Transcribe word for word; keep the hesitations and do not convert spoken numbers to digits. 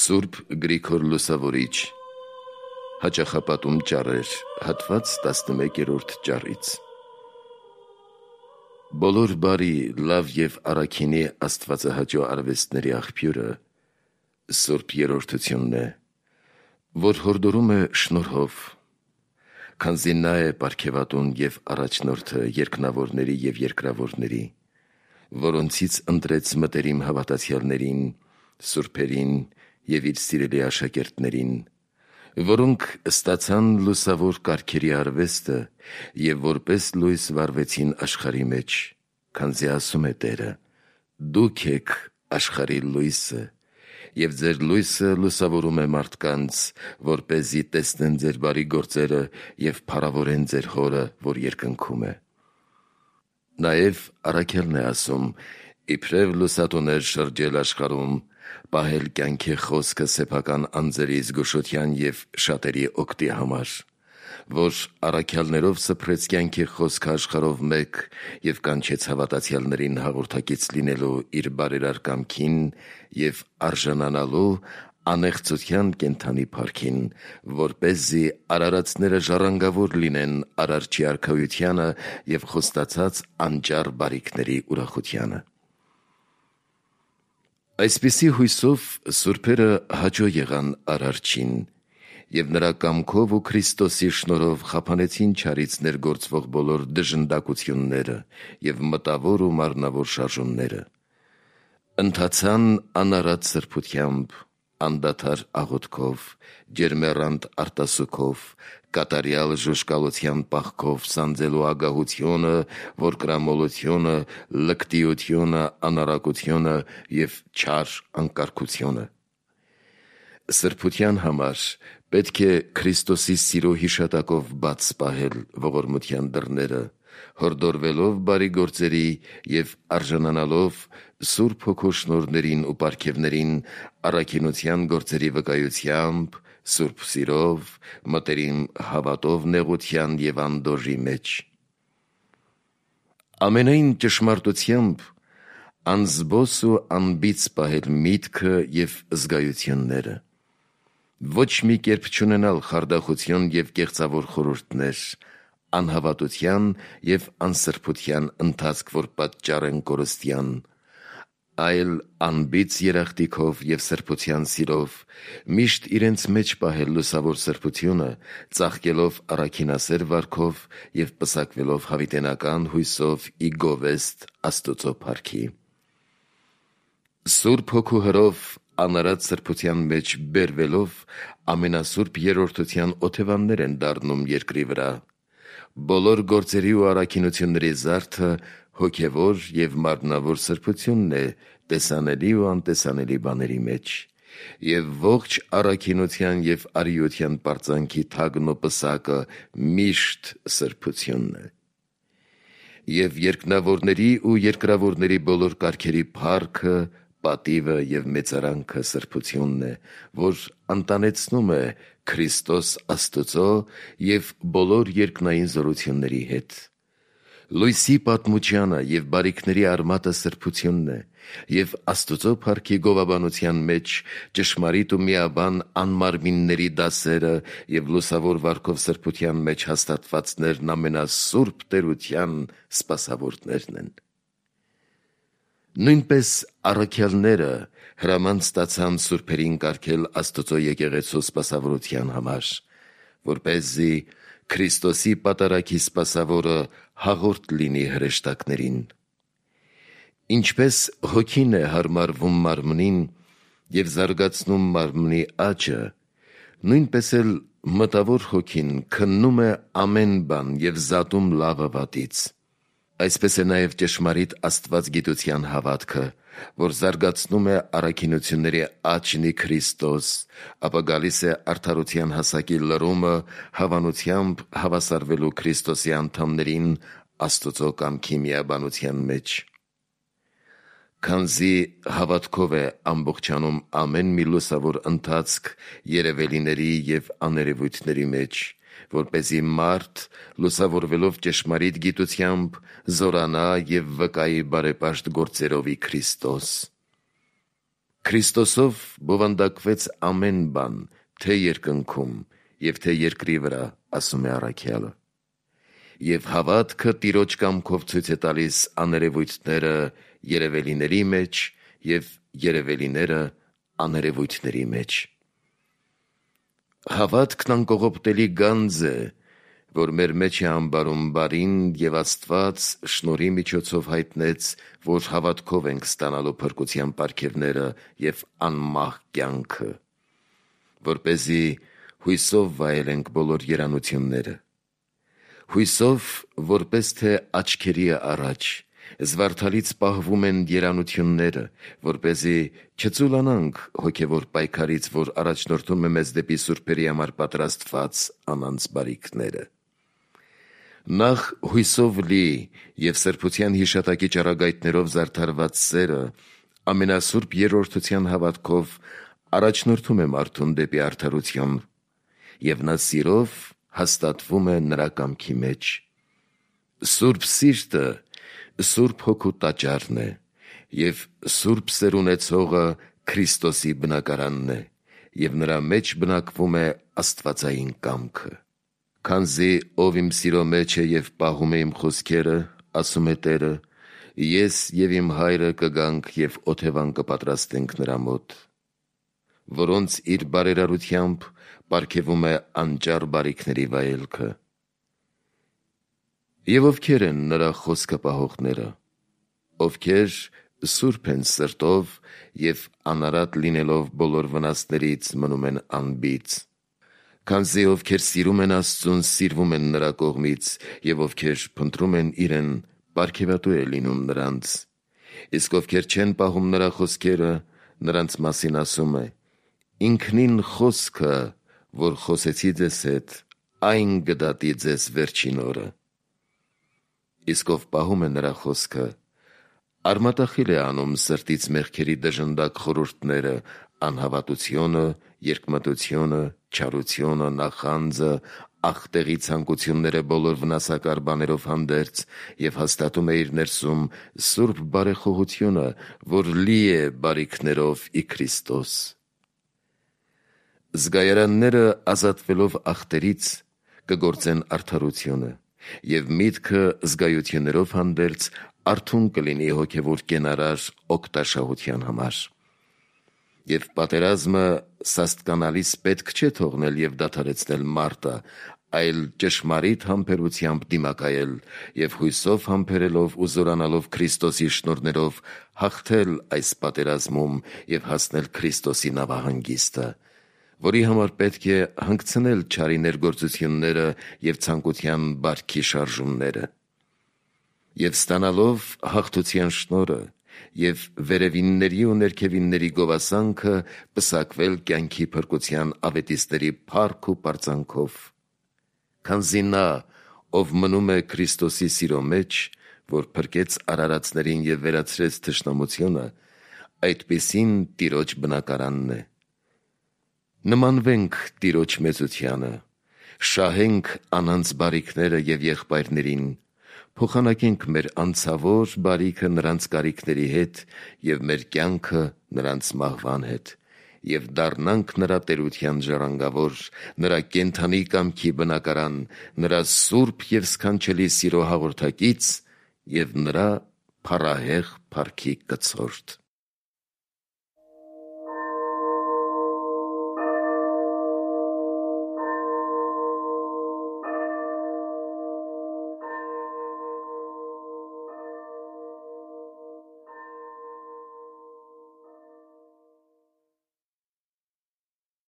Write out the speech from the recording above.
Սուրբ Գրիգոր Լուսավորիչ, հաճախապատում ճառեր, հատված տասնմեկերորդ ճառից։ Բոլոր բարի, լավ և առաքինի աստվածահաճո արվեստների աղբյուրը Սուրբ Երրորդությունն է, որ հորդորում է շնորհով, քանզի նա է պարգևատուն և առաջնորդը երկնավորների և երկրավորների, որոնցից ընտրեց մտերիմ հավատացյալներին, սուրբերին և իր սիրելի աշակերտներին, որոնք ստացան լուսավոր կարգերի արվեստը և որպես լույս վարվեցին աշխարհի մեջ, քանզի ասում է Տերը. «Դուք եք աշխարհի լույսը, և ձեր լույսը լուսավորում է մարդկանց, որպեսզի տեսնեն ձեր բարի գործերը և փառավորեն ձեր Հորը, որ երկնքում է»։ Նաև առաքյալն է ասում. «Իբրև լուսատուներ շրջել աշխարհում, պահել կյանքի խոսքը սեփական անձերի զգուշության և շատերի օգտի համար, որ առաքյալներով սփռեց կյանքի խոսքը աշխարհով մեկ և կանչեց հավատացյալներին հաղորդակից լինելու իր բարերար կամքին և արժանանալու անեղծության կենդանի փառքին, որպեսզի արարածները ժառանգավոր լինեն Արարչի արքայությանը և խոստացած անճառ բարիքների ուրախությանը»։ Այսպիսի հույսով սուրբերը հաճո եղան Արարչին և նրա կամքով ու Քրիստոսի շնորհով խափանեցին չարից ներգործվող բոլոր դժնդակությունները և մտավոր ու մարմնավոր շարժումները, ընթացան անարատ սրբությամբ, անդադար աղոթքով, ջերմեռանդ արտասուքով, կատարյալ ժուժկալության պահքով սանձելու ագահությունը, որդկրամոլությունը, լկտիությունը, անառակությունը և չար անկարգությունը։ Սրբության համար պետք է Քրիստոսի սիրո հիշատակով բաց պահել ողորմության դռները, հորդորվելով բարի գործերի և արժանանալով Սուրբ Հոգու շնորհներին ու պարգևներին առաքինության գործերի վկայությամբ, սուրբ սիրով, մտերիմ հավատով նեղության և անդորրի մեջ։ Ամենայն ճշմարտությամբ անզբոս ու անբիծ պահել միտքը և զգայությունները, ոչ մի կերպ չունենալ խարդախություն և կեղծավոր խորհուրդներ, անհավատության և անսրբության ընթացք, որ պատճառ են կորստյան, այլ անբիծ երախտիքով և սրբության սիրով միշտ իրենց մեջ պահել լուսավոր սրբությունը, ծաղկելով առաքինասեր վարքով և պսակվելով հավիտենական հույսով ի գովեստ Աստուծո փառքի։ Սուրբ Հոգու հրով անարատ սրբության մեջ բերվելով ամենասուրբ երրորդության օթևաններ են դառնում երկրի վրա։ Բոլոր գործերի ու առաքինությունների զարդը հոգևոր և մարմնավոր սրբությունն է տեսանելի ու անտեսանելի բաների մեջ, և ողջ առաքինության և արիության պարծանքի թագն ու պսակը միշտ սրբությունն է։ Եվ երկնավորների ու երկրավորների բոլոր կարգերի փառքը, պատիվը և մեծարանքը սրբությունն է, որ ընտանեցնում է Քրիստոս Աստուծո և բոլոր երկնային զորությունների հետ։ Լույսի պատմությանը և բարիքների արմատը սրբությունն է, և Աստուծո փառքի գովաբանության մեջ ճշմարիտ ու միաբան անմարմինների դասերը և լուսավոր վարքով սրբության մեջ հաստատվածներն ամենասուրբ տերության սպասավորներն են։ Նույնպես առաքյալները հրաման ստացան սուրբերին կարգել Աստուծո եկեղեցու սպասավորության համար, որպեսզի Քրիստոսի պատարագի սպասավորը հաղորդ լինի հրեշտակներին։ Ինչպես Հոգին է հարմարվում մարմնին և զարգացնում մարմնի աճը, նույնպես էլ Մտավոր Հոգին քննում է ամեն բան և զատում լավը վատից։ Այսպես է նաև ճշմարիտ աստվածգիտության հավատքը, որ զարգացնում է առաքինությունների աճն ի Քրիստոս, ապա գալիս է արդարության հասակի լրումը հավանությամբ հավասարվելու Քրիստոսի անդամներին Աստուծո կամքի միաբանության մեջ։ Քանզի հավատքով է ամբողջանում ամեն մի լուսավոր ընթացք երևելիների և աներևույթների մեջ, որպեսզի մարդ, լուսավորվելով ճշմարիտ գիտությամբ, զորանա և վկայի բարեպաշտ գործերով ի Քրիստոս։ Քրիստոսով բովանդակվեց ամեն բան, թե երկնքում և թե երկրի վրա, ասում է առաքյալը։ Եվ հավատքը Տիրոջ կամքով ցույց է տալիս աներևույթները երևելիների մեջ և երևելիները աներևույթների մեջ։ Հավատքն անկողոպտելի գանձ է, որ մեր մեջ է ամբարում բարին, և Աստված շնորհի միջոցով հայտնեց, որ հավատքով ենք ստանալու փրկության պարգևները և անմահ կյանքը, որպեսզի հույսով վայելենք բոլոր երանությունները։ Հույսով, որպես թե աչքերի առաջ, զվարթալից պահվում են երանությունները, որպեսզի չծուլանանք հոգևոր պայքարից, որ առաջնորդում է մեզ դեպի սուրբերի համար պատրաստված անանց բարիքները։ Նախ հույսով լի և սրբության հիշատակի ճառագայթներով զարդարված սերը ամենասուրբ երրորդության հավատքով առաջնորդում է մարդուն դեպի արդարություն, և նա սիրով հաստատվում է նրա կամքի մեջ։ Սուրբ սիրտը Սուրբ Հոգու տաճարն է, և սուրբ սեր ունեցողը Քրիստոսի բնակարանն է, և նրա մեջ բնակվում է աստվածային կամքը։ Քանզի ով իմ սիրո մեջ է և պահում է իմ խոսքերը, ասում է Տերը, ես և իմ Հայրը կգանք և օթևան կպատրաստենք նրա մոտ, որոնց իր բարերարությամբ պարգևում է անճար բարիքների վայելքը։ Եվ ովքեր են նրա խոսքը պահողները, ովքեր սուրբ են սրտով և անարատ լինելով բոլոր վնասներից մնում են անբիծ։ Քանզի ովքեր սիրում են Աստծուն, սիրվում են նրա կողմից, և ովքեր փնտրում են իրեն, պարգևատու է լինում նրանց։ Իսկ ովքեր չեն պահում նրա խոսքերը, նրանց մասին ասում է. «Ինքնին խոսքը, որ խոսեցի ձեզ հետ, այն կդատի ձեզ վերջին օրը»։ Իսկ ով պահում է նրա խոսքը, արմատախիլ է անում սրտից մեղքերի դժնդակ խորհուրդները, անհավատությունը, երկմտությունը, չարությունը, նախանձը, աղտեղի ցանկությունները բոլոր վնասակար բաներով հանդերձ, և հաստատում է իր ներսում սուրբ բարեխոհությունը, որ լի է բարիքներով ի Քրիստոս։ Զգայարանները ազատվելով աղտերից կգործեն արդարությունը, և միտքը զգայություններով հանդերձ արթուն կլինի հոգևոր կենարար օգտաշահության համար։ Եվ պատերազմը սաստկանալիս պետք չէ թողնել և դադարեցնել մարտը, այլ ճշմարիտ համբերությամբ դիմակայել և հույսով համբերելով ու զորանալով Քրիստոսի շնորհներով հաղթել այս պատերազմում և հասնել Քրիստոսի նավահանգիստը, որի համար պետք է հանգցնել չարի ներգործությունները և ցանկության բարքի շարժումները։ Եվ ստանալով հաղթության շնորհը և վերևինների ու ներքևինների գովասանքը, պսակվել կյանքի փրկության ավետիստների փառք ու պարծանքով։ Քանզի նա, ով մնում է Քրիստոսի սիրո մեջ, որ փրկեց արարածներին և վերացրեց թշնամությունը, այդպիսին Տիրոջ բնակարանն է։ Նմանվենք Տիրոջ մեծությանը, շահենք անանց բարիքները և եղբայրներին, փոխանակենք մեր անցավոր բարիքը նրանց կարիքների հետ և մեր կյանքը նրանց մահվան հետ, և դառնանք նրա տերության ժառանգավոր, նրա կենդանի կամքի բնակարան, նրա սուրբ և սքանչելի սիրո հաղորդակից և նրա փառահեղ փառքի կցորդ։